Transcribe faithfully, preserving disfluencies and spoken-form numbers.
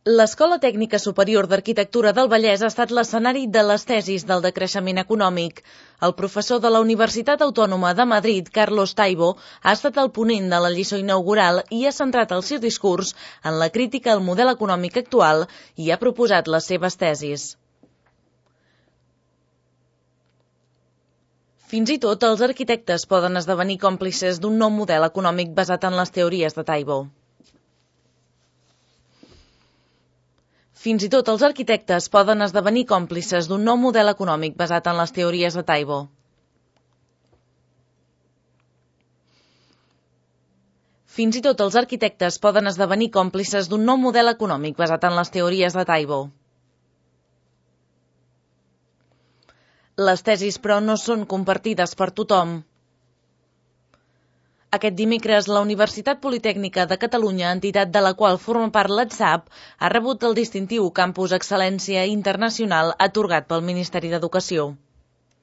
L'Escola Tècnica Superior d'Arquitectura del Vallès ha estat l'escenari de les tesis del decreixement econòmic. El professor de la Universitat Autònoma de Madrid, Carlos Taibo, ha estat el ponent de la lliçó inaugural i ha centrat el seu discurs en la crítica al model econòmic actual i ha proposat les seves tesis. Fins i tot els arquitectes poden esdevenir còmplices d'un nou model econòmic basat en les teories de Taibo. Fins i tot els arquitectes poden esdevenir còmplices d'un nou model econòmic basat en les teories de Taibo. Fins i tot els arquitectes poden esdevenir còmplices d'un nou model econòmic basat en les teories de Taibo. Les tesis, però, no són compartides per tothom. Aquest dimecres, la Universitat Politècnica de Catalunya, entitat de la qual forma part l'ETSAP, ha rebut el distintiu Campus Excel·lència Internacional atorgat pel Ministeri d'Educació.